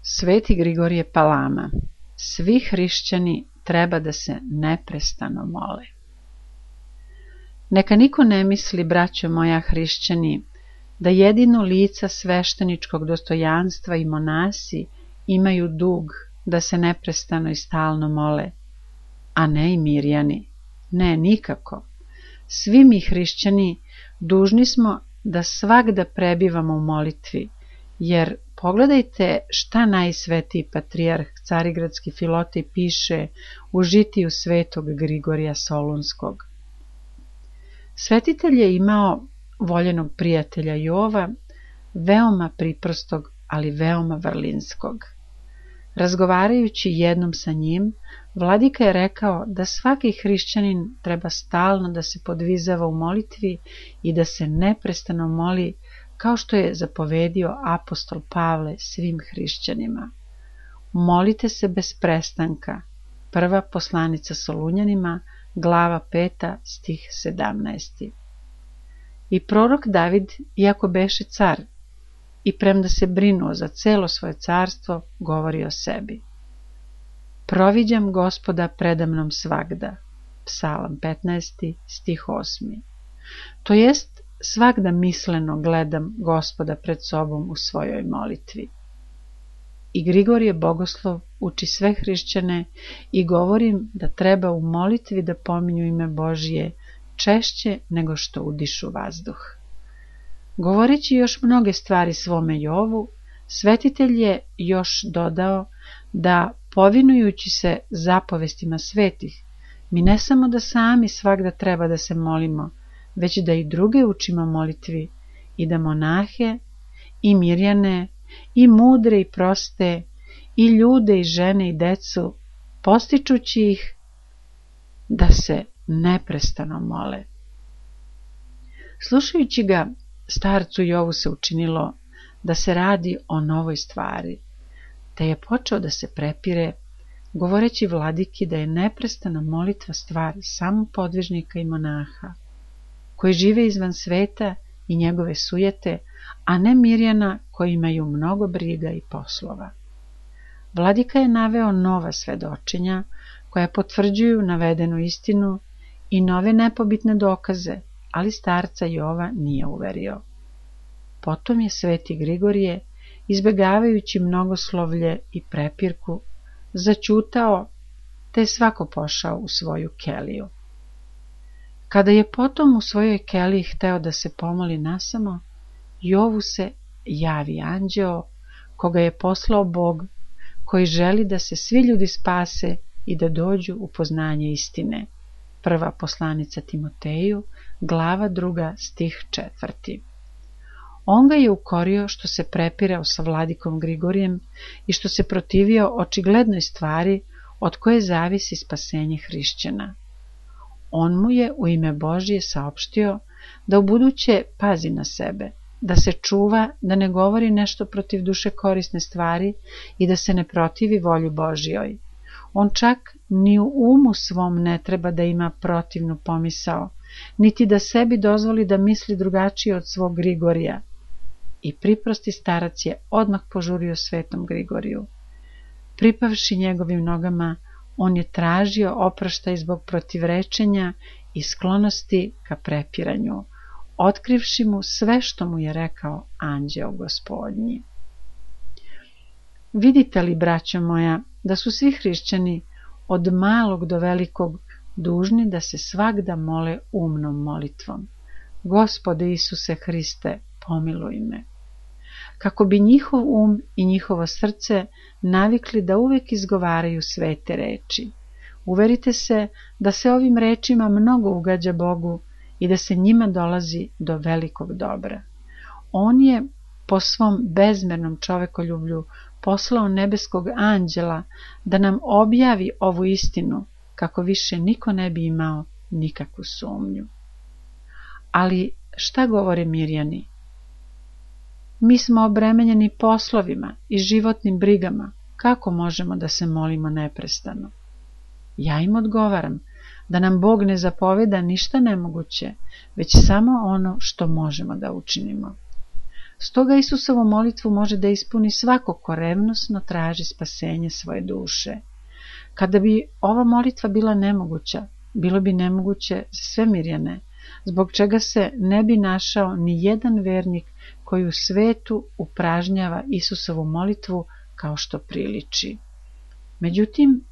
Sveti Grigorije Palama. Svi hrišćani treba da se neprestano mole. Neka niko ne misli, braćo moja hrišćani, da jedino lica svešteničkog dostojanstva i monasi imaju dug da se neprestano i stalno mole, a ne i mirjani. Ne, nikako. Svi mi hrišćani dužni smo da svagda prebivamo u molitvi, jer pogledajte šta najsvetiji patrijarh Carigradski Filotej piše u žitiju svetog Grigorija Solunskog. Svetitelj je imao voljenog prijatelja Jova, veoma priprostog, ali veoma vrlinskog. Razgovarajući jednom sa njim, vladika je rekao da svaki hrišćanin treba stalno da se podvizava u molitvi i da se neprestano moli, kao što je zapovedio apostol Pavle svim hrišćanima. Molite se bez prestanka. Prva poslanica Solunjanima, glava 5, stih 17. I prorok David, iako beše car, i premda se brinuo za celo svoje carstvo, govori o sebi. Proviđam Gospoda predamnom svagda. Psalam 15, stih 8. To jest, svagda misleno gledam Gospoda pred sobom u svojoj molitvi. I Grigorije Bogoslov uči sve hrišćane i govorim da treba u molitvi da pominju ime Božije češće nego što udišu vazduh. Govoreći još mnoge stvari svome Jovu, svetitelj je još dodao da, povinujući se zapovestima svetih, mi ne samo da sami svagda treba da se molimo, već da i druge učimo molitvi i da monahe i mirjane i mudre i proste i ljude i žene i decu, postičući ih da se neprestano mole. Slušajući ga, starcu Jovu se učinilo da se radi o novoj stvari, te je počeo da se prepire, govoreći vladiki da je neprestana molitva stvar samo podvižnika i monaha, koji žive izvan sveta i njegove sujete, a ne mirjana koji imaju mnogo briga i poslova. Vladika je naveo nova svedočenja koja potvrđuju navedenu istinu i nove nepobitne dokaze, ali starca Jova nije uverio. Potom je sveti Grigorije, izbegavajući mnogoslovlje i prepirku, zaćutao, te je svako pošao u svoju keliju. Kada je potom u svojoj keliji hteo da se pomoli nasamo, Jovu se javi anđeo, koga je poslao Bog, koji želi da se svi ljudi spase i da dođu u poznanje istine. Prva poslanica Timoteju, glava 2, stih 4. On ga je ukorio što se prepirao sa vladikom Grigorijem i što se protivio očiglednoj stvari od koje zavisi spasenje hrišćana. On mu je u ime Božije saopštio da ubuduće pazi na sebe, da se čuva, da ne govori nešto protiv duše korisne stvari i da se ne protivi volju Božjoj. On čak ni u umu svom ne treba da ima protivnu pomisao, niti da sebi dozvoli da misli drugačije od svog Grigorija. I priprosti starac je odmah požurio svetom Grigoriju. Pripavši njegovim nogama, on je tražio oproštaj zbog protivrečenja i sklonosti ka prepiranju, otkrivši mu sve što mu je rekao anđeo Gospodnji. Vidite li, braćo moja, da su svi hrišćani od malog do velikog dužni da se svagda mole umnom molitvom. Gospode Isuse Hriste, pomiluj me. Kako bi njihov um i njihovo srce navikli da uvijek izgovaraju svete reči. Uverite se da se ovim rečima mnogo ugađa Bogu i da se njima dolazi do velikog dobra. On je po svom bezmernom čovekoljublju poslao nebeskog anđela da nam objavi ovu istinu, kako više niko ne bi imao nikakvu sumnju. Ali šta govore mirjani? Mi smo obremenjeni poslovima i životnim brigama, kako možemo da se molimo neprestano? Ja im odgovaram da nam Bog ne zapoveda ništa nemoguće, već samo ono što možemo da učinimo. Stoga Isusovu molitvu može da ispuni svako ko revnosno traži spasenje svoje duše. Kada bi ova molitva bila nemoguća, bilo bi nemoguće za sve Mirjane, zbog čega se ne bi našao ni jedan vernik koji u svetu upražnjava Isusovu molitvu kao što priliči. Međutim,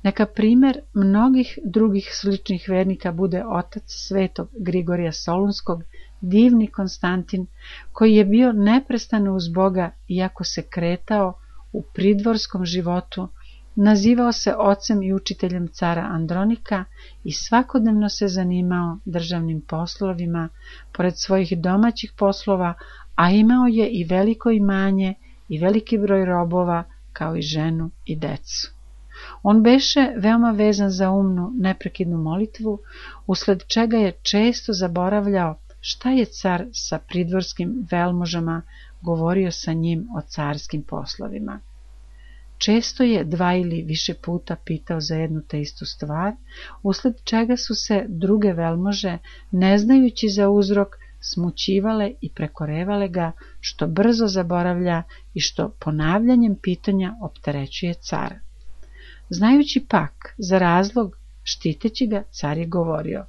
neka primer mnogih drugih sličnih vernika bude otac svetog Grigorija Solunskog, divni Konstantin, koji je bio neprestano uz Boga iako se kretao u pridvorskom životu, nazivao se ocem i učiteljem cara Andronika i svakodnevno se zanimao državnim poslovima, pored svojih domaćih poslova, a imao je i veliko imanje i veliki broj robova, kao i ženu i decu. On beše veoma vezan za umnu, neprekidnu molitvu, usled čega je često zaboravljao šta je car sa pridvorskim velmožama govorio sa njim o carskim poslovima. Često je 2 ili više puta pitao za jednu te istu stvar, usled čega su se druge velmože, ne znajući za uzrok, smućivale i prekorevale ga, što brzo zaboravlja i što ponavljanjem pitanja opterećuje cara. Znajući pak za razlog, štiteći ga, car je govorio: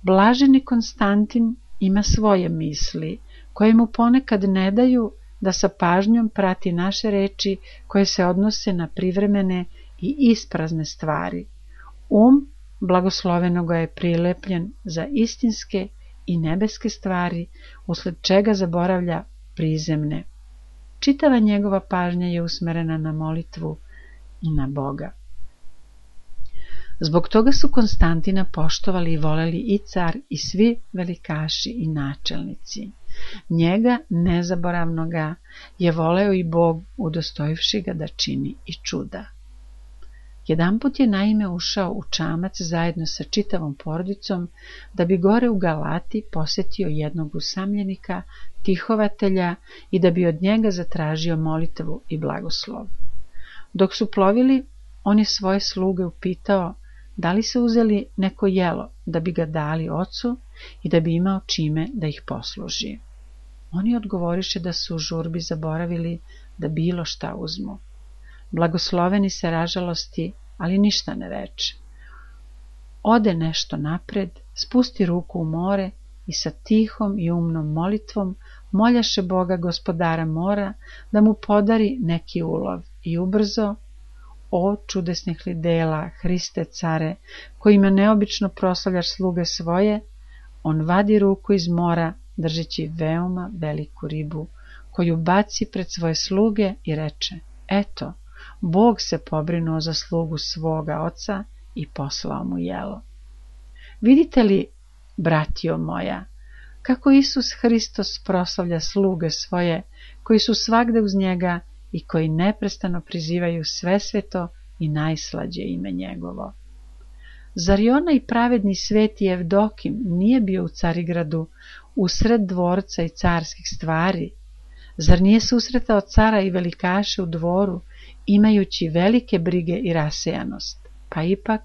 Blaženi Konstantin ima svoje misli, koje mu ponekad ne daju da sa pažnjom prati naše reči koje se odnose na privremene i isprazne stvari. Blagoslovenoga je prilepljen za istinske i nebeske stvari, usled čega zaboravlja prizemne. Čitava njegova pažnja je usmerena na molitvu i na Boga. Zbog toga su Konstantina poštovali i voleli i car i svi velikaši i načelnici. Njega, nezaboravnoga, je voleo i Bog, udostojivši ga da čini i čuda. Jedanput je naime ušao u čamac zajedno sa čitavom porodicom, da bi gore u Galati posetio jednog usamljenika, tihovatelja, i da bi od njega zatražio molitvu i blagoslov. Dok su plovili, on je svoje sluge upitao da li su uzeli neko jelo da bi ga dali ocu i da bi imao čime da ih posluži. Oni odgovoriše da su u žurbi zaboravili da bilo šta uzmu. Blagosloveni se ražalosti, ali ništa ne reče. Ode nešto napred, spusti ruku u more i sa tihom i umnom molitvom moljaše Boga, gospodara mora, da mu podari neki ulov i ubrzo: O čudesnih li dela, Hriste care, kojima neobično proslavljaš sluge svoje, on vadi ruku iz mora, držeći veoma veliku ribu, koju baci pred svoje sluge i reče: Eto, Bog se pobrinuo za slugu svoga oca i poslao mu jelo. Vidite li, bratio moja, kako Isus Hristos proslavlja sluge svoje, koji su svagde uz njega i koji neprestano prizivaju svesveto i najslađe ime njegovo. Zar i onaj pravedni sveti Evdokim nije bio u Carigradu, usred dvorca i carskih stvari? Zar nije susretao cara i velikaše u dvoru, imajući velike brige i rasejanost? Pa ipak,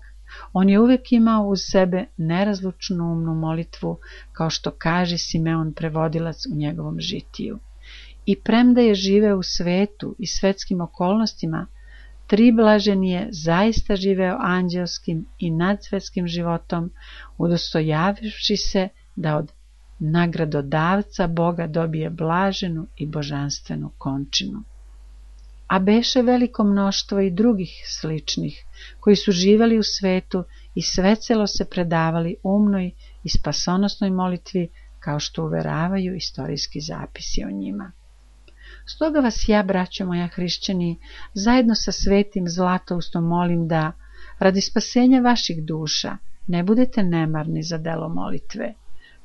on je uvijek imao uz sebe nerazlučnu umnu molitvu, kao što kaže Simeon prevodilac u njegovom žitiju. I premda je živeo u svetu i svetskim okolnostima, Triblaženi je zaista živeo anđelskim i nadsvetskim životom, udostojavivši se da od nagradodavca Boga dobije blaženu i božanstvenu končinu. A beše veliko mnoštvo i drugih sličnih, koji su živeli u svetu i svecelo se predavali umnoj i spasonosnoj molitvi, kao što uveravaju istorijski zapisi o njima. Stoga vas ja, braćo moja hrišćani, zajedno sa svetim Zlatoustom molim da, radi spasenja vaših duša, ne budete nemarni za delo molitve.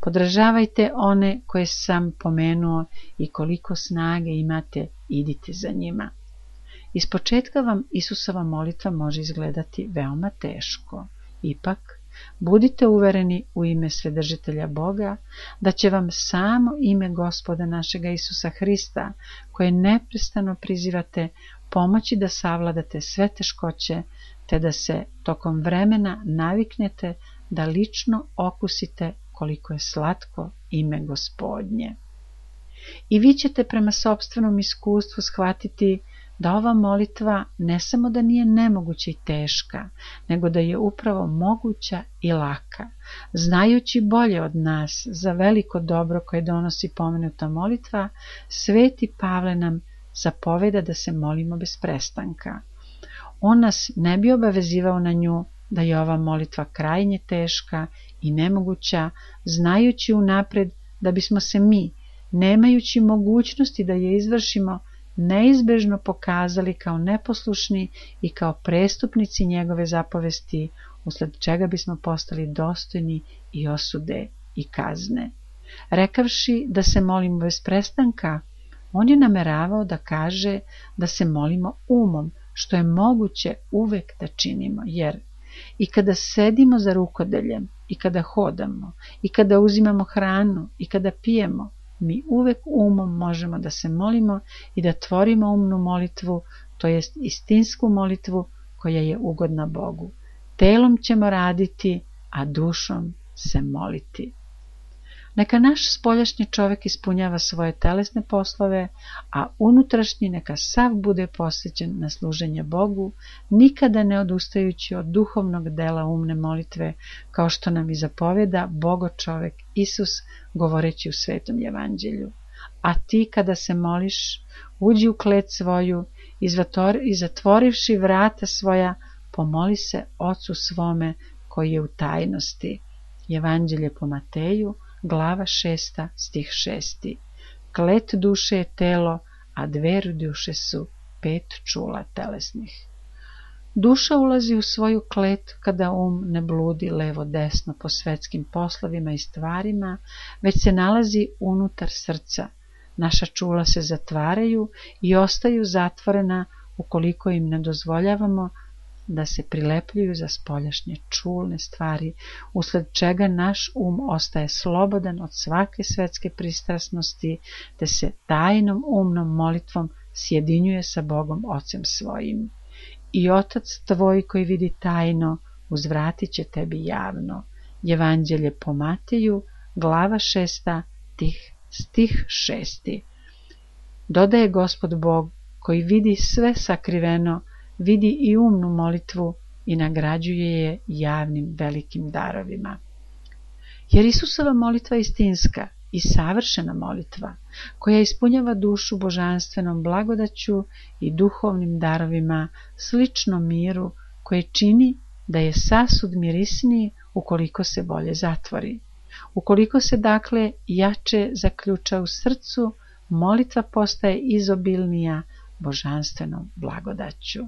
Podržavajte one koje sam pomenuo i koliko snage imate, idite za njima. Ispočetka vam Isusova molitva može izgledati veoma teško. Ipak, budite uvereni u ime Svedržitelja Boga, da će vam samo ime Gospoda našega Isusa Hrista, koje neprestano prizivate, pomoći da savladate sve teškoće, te da se tokom vremena naviknete da lično okusite koliko je slatko ime Gospodnje. I vi ćete prema sopstvenom iskustvu shvatiti da ova molitva ne samo da nije nemoguća i teška, nego da je upravo moguća i laka. Znajući bolje od nas za veliko dobro koje donosi pomenuta molitva, Sveti Pavle nam zapoveda da se molimo bez prestanka. On nas ne bi obavezivao na nju da je ova molitva krajnje teška i nemoguća, znajući unapred da bismo se mi, nemajući mogućnosti da je izvršimo, neizbežno pokazali kao neposlušni i kao prestupnici njegove zapovesti, usled čega bismo postali dostojni i osude i kazne. Rekavši da se molimo bez prestanka, on je nameravao da kaže da se molimo umom, što je moguće uvek da činimo, jer i kada sedimo za rukodeljem, i kada hodamo, i kada uzimamo hranu, i kada pijemo, mi uvek umom možemo da se molimo i da tvorimo umnu molitvu, to jest istinsku molitvu koja je ugodna Bogu. Telom ćemo raditi, a dušom se moliti. Neka naš spoljašnji čovjek ispunjava svoje telesne poslove, a unutrašnji neka sav bude posvećen na služenje Bogu, nikada ne odustajući od duhovnog dela umne molitve, kao što nam i zapoveda Bogo čovjek Isus govoreći u Svetom Evanđelju. A ti kada se moliš, uđi u klet svoju i zatvorivši vrata svoja, pomoli se Ocu svome koji je u tajnosti. Evanđelje po Mateju, glava 6, stih 6. Klet duše je telo, a dver duše su 5 čula telesnih. Duša ulazi u svoju klet kada ne bludi levo-desno po svetskim poslovima i stvarima, već se nalazi unutar srca. Naša čula se zatvaraju i ostaju zatvorena ukoliko im ne dozvoljavamo da se prilepljuju za spoljašnje čulne stvari, usled čega naš ostaje slobodan od svake svetske pristrasnosti, te se tajnom umnom molitvom sjedinjuje sa Bogom Ocem svojim. I Otac tvoj koji vidi tajno, uzvratit će tebi javno. Evanđelje po Mateju, glava 6, stih 6. Dodaje Gospod Bog, koji vidi sve sakriveno, vidi i umnu molitvu i nagrađuje je javnim velikim darovima. Jer Isusova molitva je istinska i savršena molitva, koja ispunjava dušu božanstvenom blagodaću i duhovnim darovima, slično miru, koje čini da je sasud mirisniji ukoliko se bolje zatvori. Ukoliko se dakle jače zaključa u srcu, molitva postaje izobilnija božanstvenom blagodaću.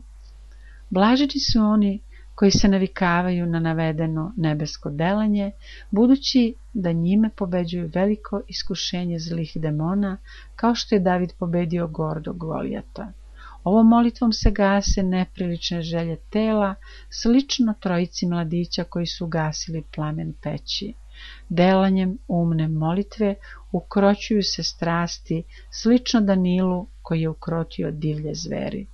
Blaženi su oni koji se navikavaju na navedeno nebesko delanje, budući da njime pobeđuju veliko iskušenje zlih demona, kao što je David pobedio gordog Golijata. Ovom molitvom se gase neprilične želje tela, slično trojici mladića koji su gasili plamen peći. Delanjem umne molitve ukroćuju se strasti, slično Danilu koji je ukrotio divlje zveri.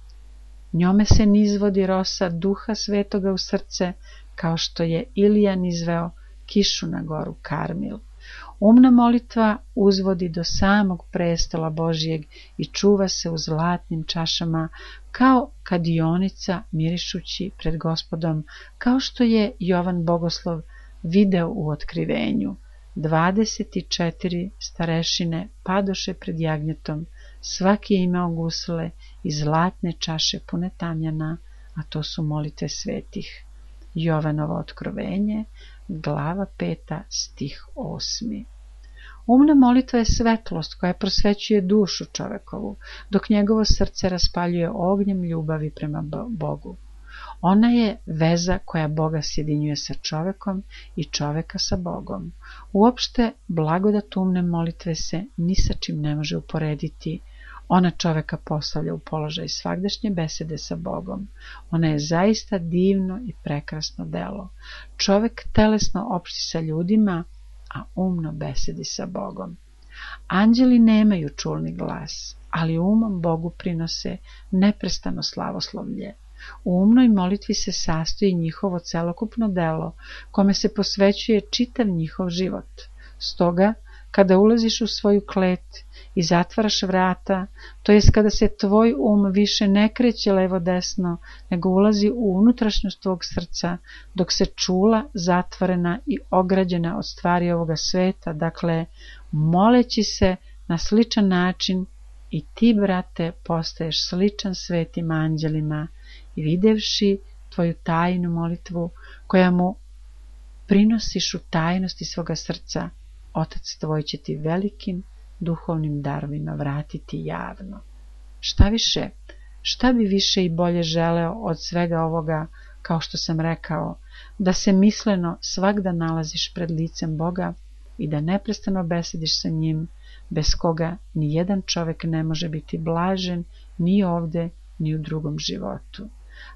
Njome se nizvodi rosa Duha Svetoga u srce, kao što je Ilija nizveo kišu na goru Karmil. Umna molitva uzvodi do samog prestola Božijeg i čuva se u zlatnim čašama, kao kadionica mirišući pred Gospodom, kao što je Jovan Bogoslov video u otkrivenju. 24 starešine padoše pred jagnjetom, svaki je imao gusle i zlatne čaše pune tamjana, a to su molitve svetih. Jovanovo otkrovenje, glava 5, stih 8. Umna molitva je svetlost koja prosvećuje dušu čovekovu, dok njegovo srce raspaljuje ognjem ljubavi prema Bogu. Ona je veza koja Boga sjedinjuje sa čovekom i čoveka sa Bogom. Uopšte, blagodat umne molitve se ni sa čim ne može uporediti. Ona čoveka postavlja u položaj svagdašnje besede sa Bogom. Ona je zaista divno i prekrasno delo. Čovek telesno opšti sa ljudima, a umno besedi sa Bogom. Anđeli nemaju čulni glas, ali umom Bogu prinose neprestano slavoslovlje. U umnoj molitvi se sastoji njihovo celokupno delo, kome se posvećuje čitav njihov život. Stoga, kada ulaziš u svoju klet i zatvaraš vrata, to jest kada se tvoj više ne kreće levo-desno, nego ulazi u unutrašnjost tvog srca, dok se čula zatvorena i ograđena od stvari ovoga sveta, dakle, moleći se na sličan način, i ti, brate, postaješ sličan svetim anđelima i videvši tvoju tajnu molitvu, koja mu prinosiš u tajnosti svoga srca, Otac tvoj će ti velikim duhovnim darovima vratiti javno. Šta više, šta bi više i bolje želeo od svega ovoga, kao što sam rekao, da se misleno svagda nalaziš pred licem Boga i da neprestano besediš sa njim, bez koga ni jedan čovjek ne može biti blažen ni ovde, ni u drugom životu.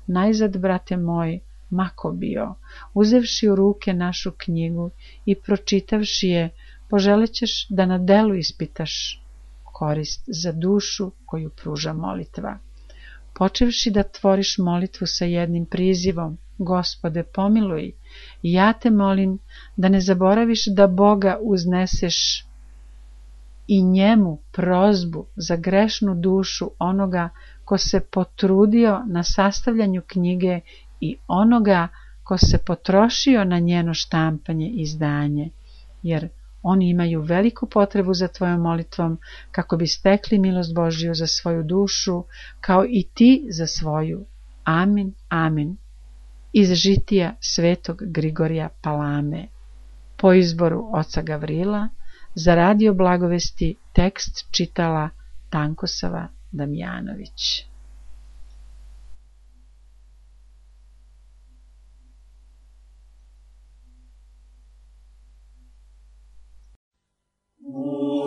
Najzad, brate moj, mako bio, uzevši u ruke našu knjigu i pročitavši je, poželećeš da na delu ispitaš korist za dušu koju pruža molitva. Počevši da tvoriš molitvu sa jednim prizivom, Gospode, pomiluj, ja te molim da ne zaboraviš da Boga uzneseš i njemu prozbu za grešnu dušu onoga ko se potrudio na sastavljanju knjige i onoga ko se potrošio na njeno štampanje i izdanje, jer oni imaju veliku potrebu za tvojom molitvom kako bi stekli milost Božju za svoju dušu, kao i ti za svoju. Amin, amin. Iz žitija svetog Grigorija Palame. Po izboru oca Gavrila, za radio Blagovesti tekst čitala Tankosava Damjanović. Oh